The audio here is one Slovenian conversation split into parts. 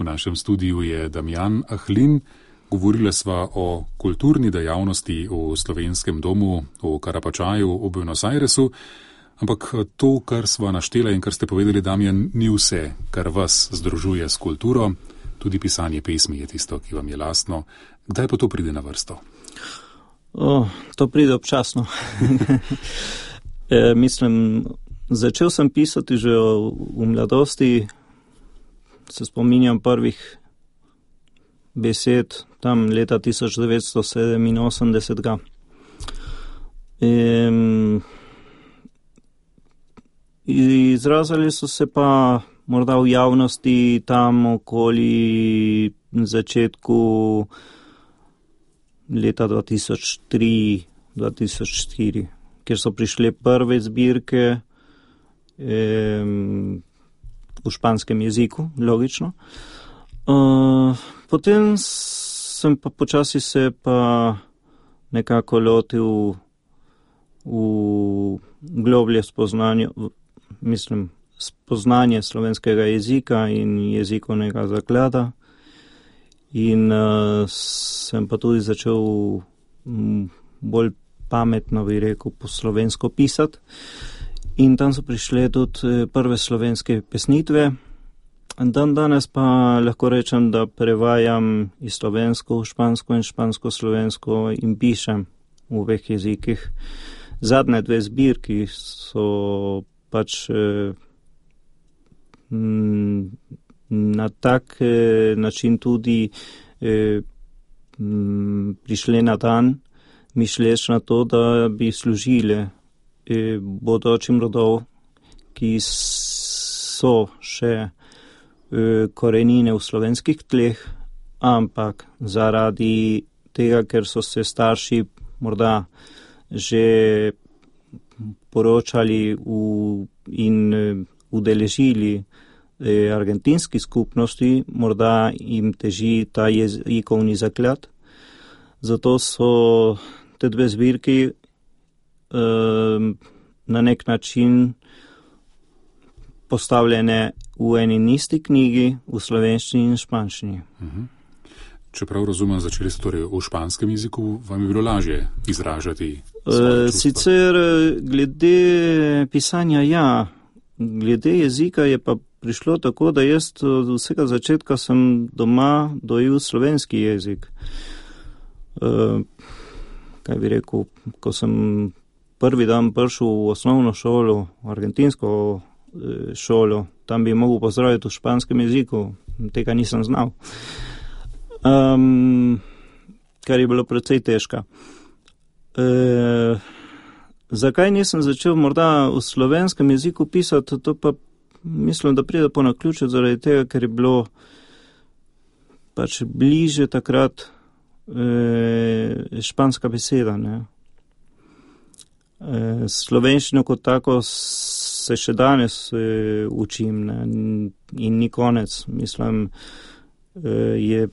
V našem studiu je Damjan Ahlin. Govorili sva o kulturni dejavnosti v Slovenskem domu v Karapačaju v Buenos Airesu, ampak to, kar sva naštela in kar ste povedali, Damjan, ni vse, kar vas združuje s kulturo. Tudi pisanje pesmi je tisto, ki vam je lastno. Kdaj pa to pride na vrsto? To pride občasno. Mislim, začel sem pisati že v mladosti, se spominjam prvih besed, tam leta 1987. Izrazili so se pa morda v javnosti tam okoli začetku leta 2003-2004, kjer so prišle prve zbirke v španskem jeziku, logično. Potem sem pa počasi se pa nekako lotil v globlje spoznanje slovenskega jezika in jezikovnega zaklada. In sem pa tudi začel bolj pametno, bi rekel, po slovensko pisati. In tam so prišle tudi prve slovenske pesnitve. Danes pa lahko rečem, da prevajam iz slovensko v špansko in špansko-slovensko in pišem v obeh jezikih. Zadnje dve zbirki so pač na tak način tudi prišle na dan, mišleč na to, da bi služile bodočim rodov, ki so še korenine v slovenskih tleh, ampak zaradi tega, ker so se starši morda že poročali in udeležili argentinski skupnosti, morda jim teži ta jezikovni zaklad. Zato so te dve zbirki na nek način postavljene v eni in isti knjigi, v slovenščini in španščini. Čeprav razumem, začeli ste torej v španskem jeziku, vam je bilo lažje izražati svoje čustva? Sicer glede pisanja ja, glede jezika je pa prišlo tako, da jaz od vsega začetka sem doma dojel slovenski jezik. Kaj bi rekel, ko sem prvi dan prišel v osnovno šolo, v argentinsko šolo, tam bi mogel pozdraviti v španskem jeziku, tega nisem znal. Kar je bilo precej težko. Zakaj nisem začel morda v slovenskem jeziku pisati, to pa mislim, da pride po naključju zaradi tega, ker je bilo pač bliže takrat španska beseda. Slovenščino kot tako se še danes učim, ne? In ni konec. Mislim, je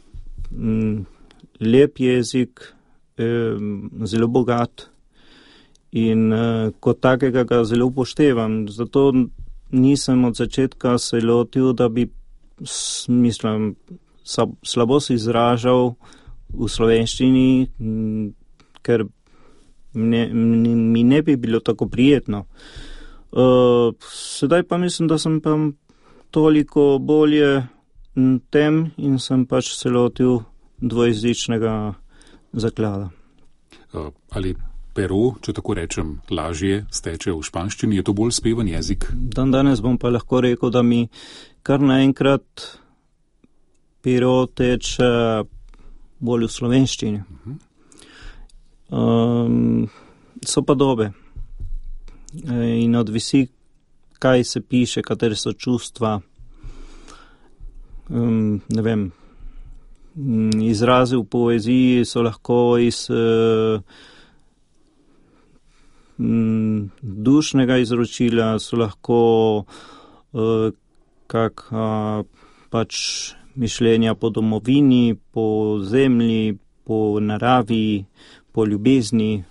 lep jezik, zelo bogat in kot takega ga zelo upoštevam. Zato nisem od začetka se lotil, da bi, mislim, slabo se izražal v slovenščini, ker mi ne bi bilo tako prijetno. Sedaj pa mislim, da sem pa toliko bolje tem in sem pač se lotil dvojezičnega zaklada. Ali pero, če tako rečem, lažje steče v španščini? Je to bolj speven jezik? Danes bom pa lahko rekel, da mi kar naenkrat pero teče bolj v slovenščini. So pa dobe. In odvisi, kaj se piše, katere so čustva. Ne vem, izrazi v poeziji so lahko iz dušnega izročila, so lahko pač mišljenja po domovini, po zemlji, po naravi, po ljubezni.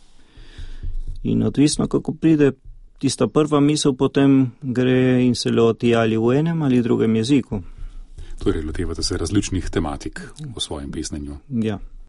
In odvisno, kako pride tista prva misel, potem gre in se loti ali v enem ali drugem jeziku. Torej, lotevate se različnih tematik v svojem pisnenju. Ja.